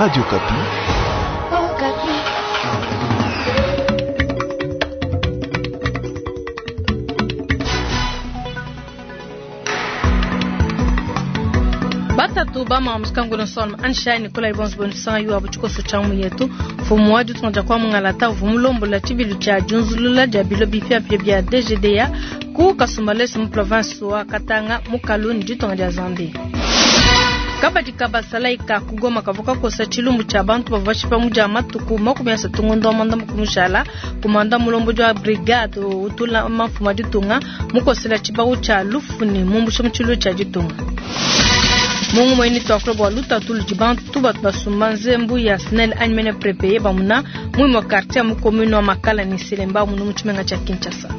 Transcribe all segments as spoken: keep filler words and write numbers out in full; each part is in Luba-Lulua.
Radio Okapi. Batatu bama muskangu son ansha Nicolas Ibons bonisa yu abu chikoso cha yetu fumu wadu tunja kwa mungalata vumulombo la chibilu cha junzulula ja bilo bipya pya bya D G D A ku Kasumbalesa mu province wa Katanga mu Kaluni ditonga dia Zambie. Kabadi kabasalaika kugoma kavuka kosa chilumbu cha bantu bavashipa muja matuku makumi asatu ngondo manda mukumushala kumanda mulombo jwa brigade utula mafuma ditunga mukosela chibawu cha lufuni mumbusha muchilu cha ditunga. Mungu mweni twakula bwa luta tulu dibantu batu basumba nzembu ya SNEL animene prepeye bamuna mwimo quartier mu commune wa Makala ni Selemba munu muchimenga cha Kinshasa.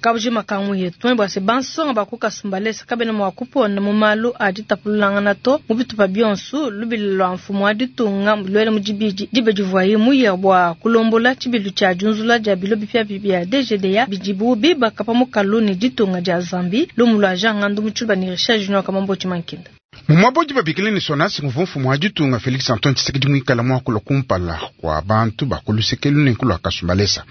Kabuji makangu yetu bwa se bansonga bakuka sumbalesa kabena mwa kupona mu malu adi tapululangana to mu bitupa bionsu lubili lwa mfumu adi tunga lwele mujibiji dibe divuayi muya bwa kulombola chibilu cha junzula dia bilo bipya bya D G D A bijibu biba kapa mu kaluni ditunga dia Zambi lumu lwa Jean Ngandu muchuba ni Richard Junior Kamambo Chimankinda. Mumwabodi babikile ni sonasi nguvu mfumu wa ditunga Felix Antoine Tshisekedi mwikala mwakula kumpala kwa bantu bakulusekelu ne kulwa Kasumbalesa.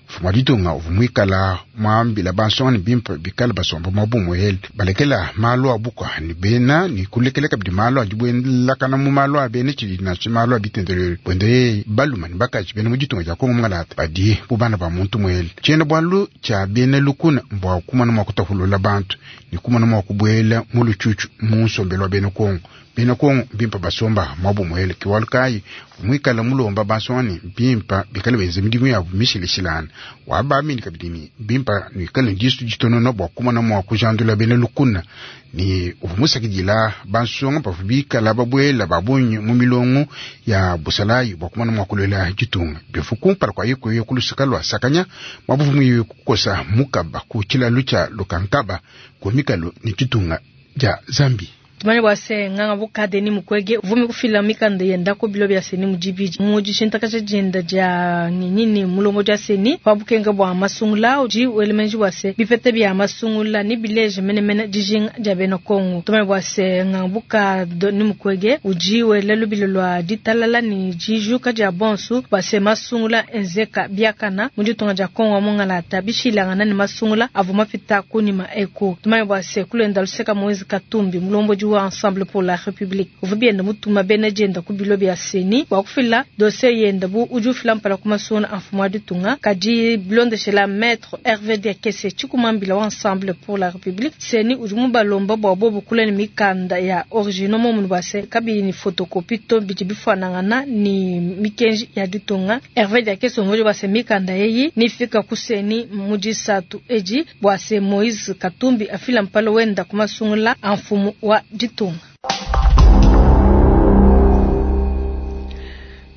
Mfumu wa ditunga uvu mwikala mwambila bansonga ni bimpa bikala basomba mwabumu heli balekela malu abuka ni bena ni kulekele kabidi malu adibwelakana mu malu abene chidi na malu abitendelele bwende baluma ni bakaji bena mu ditunga dia Kongo mngalata badi bubana ba muntu mweli chena bwalu cha bene lukuna mbwa kumana mwakutahulula bantu ni kumana mwakubwela mu luchuchu mu nsombelo wa bena Kongo bena Kongo bimpa basomba mwabu mwele kiwalukai mwikala mulomba basoni bimpa bikale benze midimu ya mishilishilana wabamini kabidini bimpa nikale disu jitonono bwa kumana mwa kujandula bena lukuna ni uvumusakidila bansonga pavubikala babwela babunyi mu milongo ya busalayi bwa kumana mwa kulela jitunga bifukumpala kwa yiko yokulusika lwa sakanya mwabuvumu kukosa mukaba kuchila lucha lukankaba kumikalo ni jitunga ja Zambi. Tumanye bwa se nganga buka Denis Mukwege vumi kufila mikanda yenda ko bilo bya seni mujibiji muji shintaka jenda ja nini mulongo ja seni wa bukenga bwa masungula uji welemenji bwa se bipete bya masungula ni bileje mene mene dijinga ja bena Kongo. Tumanye bwa se nganga buka Denis Mukwege uji welelu bilo lwa ditalala ni jijuka ja bonsu bwa se masungula enzeka biakana muji tonga ja Kongo mongala tabishilanga ni masungula avuma pita kunima eko. Tumanye bwa se kulenda luseka Moise Katumbi mulombo wa Ensemble pour la République uvubienda mutuma bena jenda ku bilo bya seni wa kufila dossier yenda bu uju fila mpala kumasona mfumo wa ditunga kadi blondeshela maître Hervé Diakese chikumambila wa Ensemble pour la République seni uju mubalomba bwa bobu kuleni mikanda ya original mo munu base kabi ni photocopie to biti bifanangana ni mikenji ya ditunga Hervé Diakese mmoja base mikanda yeyi ni fika kuseni mujisatu eji bwase Moise Katumbi afila mpala wenda kumasungula mfumo wa ditunga.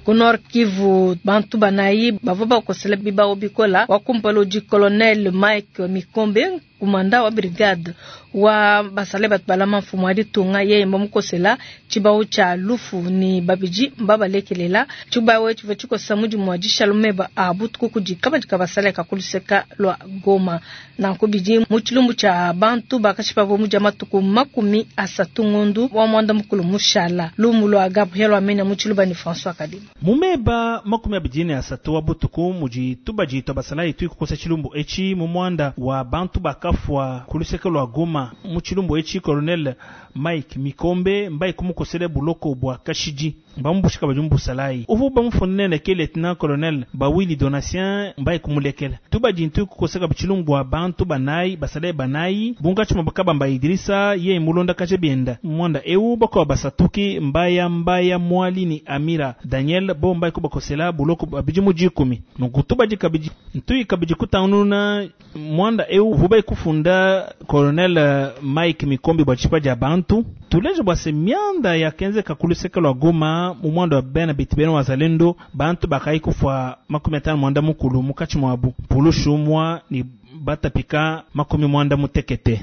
Ku Nord Kivu bantu banayi bavua bakosela bibao bikola wakumpala udi colonel Mike Mikombe kumanda wa brigade wa basale batu balama mfumu wa ditunga yeye mbamukosela chibao cha lufu ni babiji mbabalekelela chibao chiva chikosa mudimu wa dishalumeba abutuku kudi kabadi kabasale kakuluseka lwa Goma na kubidi mu chilumbu cha bantu bakashipa bo muja matuku makumi asatu ngondu wa mwanda mukulu mushala lumu lwa Gabriel Wamenya mu chiluba ni François Kadima mumeba makumi abidini asatu wa butuku muji tubaji twabasala itu kukosa chilumbu echi mu mwanda wa bantu bakafwa kuluseka lwa Goma mu chilumbu echi colonel Mike Mikombe mbai kumukosele buloko bwa kashiji bambushika bajumbu salai uvu bamufunene ke lieutenant colonel Bawili Donatien mbai kumulekela tubaji ntu kukoseka chilumbu wa bantu banai basale banai bunga chuma bakaba Idrisa ye mulonda kache bienda mwanda eu bako basatuki mbaya mbaya mwali ni Amira Daniel bo mbai kubakosela buloko abijimu jikumi nukutubaji kabiji ntui kabiji kutanuna mwanda eu vubai kufunda colonel Mike Mikombe bwa chipa ja bantu tuleje bwa se mianda ya kenze kakuluseka lwa Goma mu mwanda wa bena bitibena wazalendo bantu bakai kufwa makumi atano mwanda mukulu mukachi mwabu pulushumwa ni batapika makumi mwanda mutekete.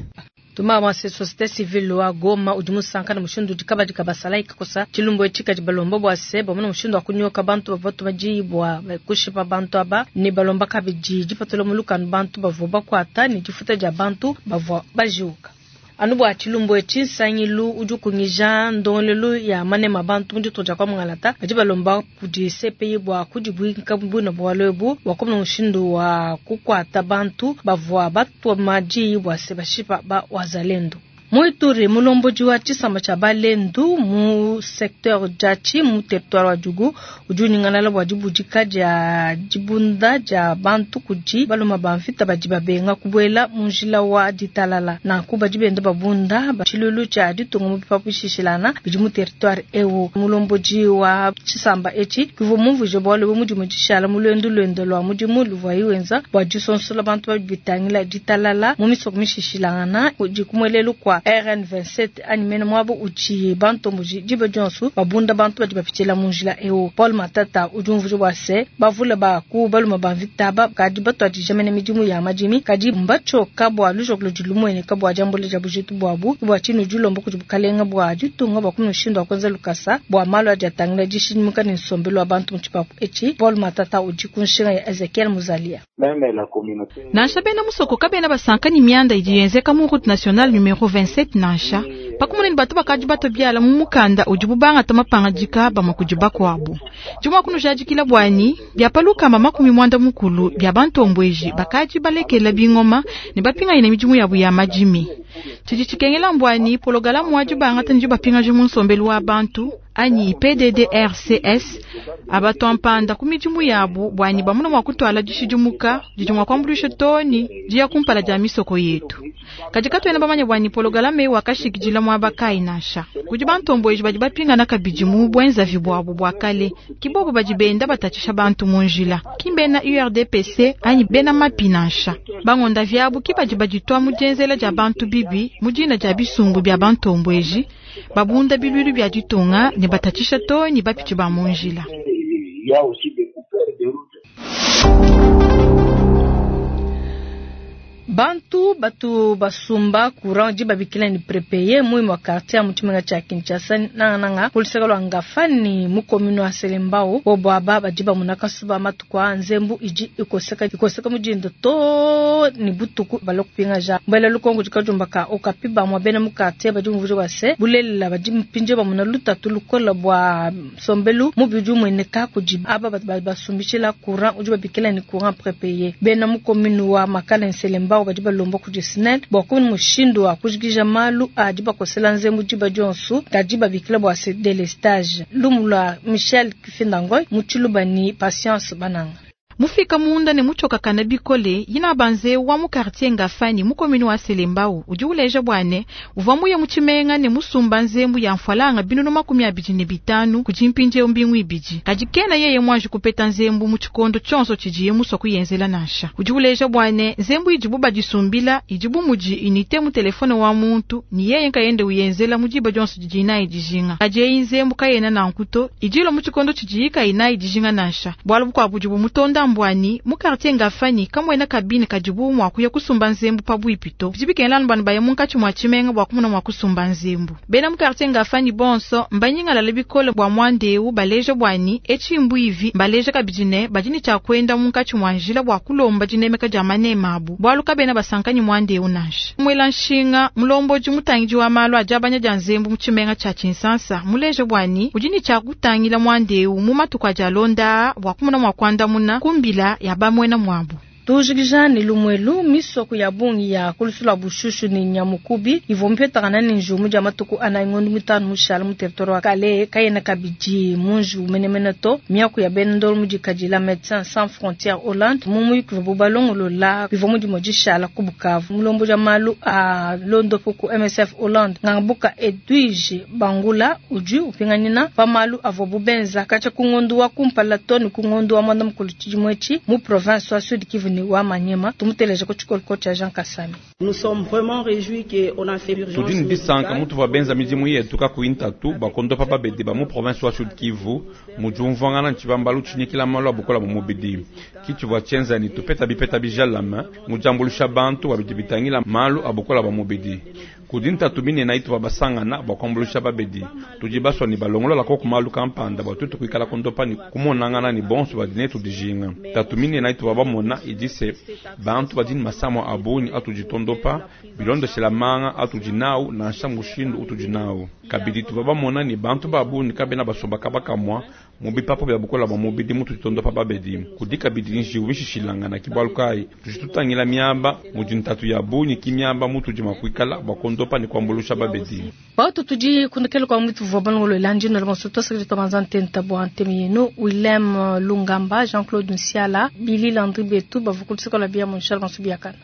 Tuma wa société civile wa Goma udi musanka na mushindu udi kabadi kabasala ikakosa chilumbu echika dibalomba bwa se bamona mushindu wa kunyoka bantu bavua bajibwa kushipa bantu aba ni balomba kabidi dipatula mulukanu bantu bavua bakwata ni difuta dia bantu bavua bajiuka. Anu bua tshilumbu etshi, nsangilu udi ukungija ndongoluelu ya manema bantu mu ditunga dia kwa mungalata badi balomba kudi C P I bua kudibuinka buina bualu ebu bua kumona mushindu wa kukuata bantu bavua batua madiyi bua se bashipa ba wazalendo. Mu Ituri, mulombodi wa tshisamba tshia Balendu mu secteur Djatshi mu territoire wa Djugu udi unyingalala bua dibudika dia dibunda dia bantu kudi baluma ba mvita badi babenga kubuela mu njila wa ditalala. Nanku badi benda babunda ba tshilulu tshia ditunga mu bipapu bishishilana bidi mu territoire eu. Mulombodi wa tshisamba etshi kivua mumvuije bualu ebu mudimu dishala mu luendu luende lua mudimu luvuaye wenza bua disonsola bantu badi bitangila ditalala mu misoko mishishilangana kudi kumuelelu kwa R N vingt-sept anyi mene mwabo uchi bantomboji diba dionso babunda bantu badi bapitshila mu njila eu. Paul Matata udi umvuija bua se bavule ba ku baluma ba mvita ba kadi batuadija mene midimu ya madimi kadi mbatshioka bua lujoko ludi lumueneka bua diambula dia bujitu buabu bua tshinu dilomba kudi bukalenga bua ditunga bua kumushindu wa kuenza lukasa bua malu adi atangila dishidimuka ne nsombelu wa bantu mu tshipapu etshi. Paul Matata udi ku nshinga ya Ezekiel Muzalia. Nansha bena musoko kabena basanka ni mianda idi yenzeka mu route nationale numéro vingt-sept nansha pakumuna ni batu bakadi bato biala mu mukanda udi bubanga tamapangadika bamwe kudi bakuabu jumwa kunujadikila bwani bya palukamba makumi mwanda mukulu bya bantombweji bakadi balekela bingoma ne bapinga ina midimu yabu ya madimi tshidi tshikengela mbwani pologalamu wadi bangata ndi bapingaji mu nsombelu wa bantu anyi P D D R C S abatwampanda ku midimu yabu bwani bamuna mwa kutwala dishidimuka didi mwa kuambulisha toni diya kumpala dia misoko yetu kadi katuena bamanya bwani pologalame wakashikidila mwaba kai nansha kudi bantomboji badi bapingana kabidi mu bwenzavi bwabu bwa kale kibobo badi benda batatshisha bantu mu njila kimbena U R D P C anyi bena mapi nansha bangonda vyabu kibadi baditwa mu dienzela dia bantu bibi mu dina dia bisumbu bya bantombweji babunda bilwilu bya ditunga ne batatshisha toni bapitshi ba mu njila. Bantu batu basumba courant di babikila ni prépayé mu mwa quartier mu tshimenga tshia Kinshasa nanga nanga polisaka lwa Ngafani mu commune wa Selembao bobo aba badi bamuna kasuba matuku a nzembu idi ikoseka ikoseka mudindo to ni butuku balokupinga ja mbele lukongo dikajumba ka okapi ba mwa bena mu quartier badi muvuje wa se bulelela badi mpinje bamuna lutatu lukola bwa sombelu mu bidi mweneka kudi aba batu basumbishila courant udi babikila ni courant prépayé bena mu commune wa Makala Selembao badi balomba kudi SNEL bua kumona mushindu wa kujikija malu adi bakosela nzembu diba dionso kadi babikila bua se délestage. Lumu lua Michel Kifindangoy mu Tshiluba ni Patience Bananga. Mufika munda ne muchoka kana bikole yina banze wa mu quartier Ngafani mu commune wa Selembao udi uleja bwane uvwa muye mu tshimenga ne musumba nzembu ya mfalanga binunu makumi abidi ne bitanu kudi mpindiewu mbingu ibidi kadi kena yeye mwanji kupeta nzembu mu tshikondo tshionso tshidiye musua kuyenzela nansha udi uleja bwane nzembu idibu badisumbila idibu mudi unité mu telefone wa muntu ni yeye nkayende uyenzela mu diba dionso didi inayi dijinga kadi eyi nzembu kayena nankuto idilo mu tshikondo tshidiye kayinayi dijinga nansha bualu bukuabu budi bumutonda mbwani mu quartier Ngafani kamwena kabine kadibu mwa kuya kusumba nzembu pabuipi to bidi bikengela anu banu baye munkatshi mwa tshimenga bua kumona mwa kusumba nzembu bena mu quartier Ngafani bonso mbanyingalala bikole bua mwandeu baleja bwani etshi mbuivi baleja kabidi ne badi ne tshia kuenda munkatshi mwa njila bua kulomba dinemeka dia manema abu bualu kabena basankanyi mwandeu nansha mwela nshinga mulombodi mutangidi wa malu adi abanya dia nzembu mu tshimenga tshia Tshinsansa muleja bwani udi ne tshia kutangila mwandeu mu matuku adi alonda bua kumona mwa kuandamuna kumbila ya bamwena mwabu. Tujikija ni lumwelu misoko ya bungi ya kulusula bushushu ni nyamukubi ivua mpetakana ni njumu dia matuku ana ngondo mitano mushala mu territoire wa Kalehe kayena kabidi munju menemene to miaku ya bendolo mudikadila Médecins Sans Frontières Hollande mu muyuki wa bubalongolola bivua mudimo dishala ku Bukavu mulombo dia malu a londopo ku M S F Hollande ngangabuka Edwige Bangula udi upinganina pa malu avua bubenza kacha ku ngondo wa kumpala to ni ku ngondo wa mwanda mukulu tshidimwetshi mu province wa Sud Kivu ni wa Manyema tumuteleje ko tshikolo cha Jean Kasami. Nous sommes vraiment réjouis que on a fait urgence. Tudi ndisanka mutu wa benza midimu yetu ka kuintatu bakondo papa bede ba mu province wa Sud Kivu mujumvangana nchibambalu chinyikila malu abukola mu mubidi kichivwa chenza ni tupeta bipeta bijalama mujambulisha bantu wabidi bitangila malu abukola ba mubidi Kudi ntatu minene ituvua basangana bua kuambuluisha babedi. Tudi basua ne balongolola koku malu kampanda bua tuetu kuikala kondopa ne kumonangana ne bonso badi netu dijinga. Ntatu minene ituvua bamona idi se bantu badi ne masama a bungi atudi tondopa bilondeshela manga atudi nawu nansha mushindu utudi nawu. Kabidi tuvua bamona ne bantu ba bungi kabena basomba kaba kamua mu bipapu bia bukola bua mubidi mutudi tondopa babedi. Kudi kabidi njiwu mishishilangana ke bualu kayi tudi tutangila miaba mudi ntatu ya bungi ki miaba mutudi mua kuikala bua kondopa ne kuambuluisha babedi. Bautu tudi kundekela kwa mwitu vwa balongolo ndino bonso tosakidi tobanza ntenta bua ntemi yenu Willem Lungamba Jean-Claude Nsiala Billy Landry Betu bavua kuluseka lwa bia Monchal Bansu Biakana.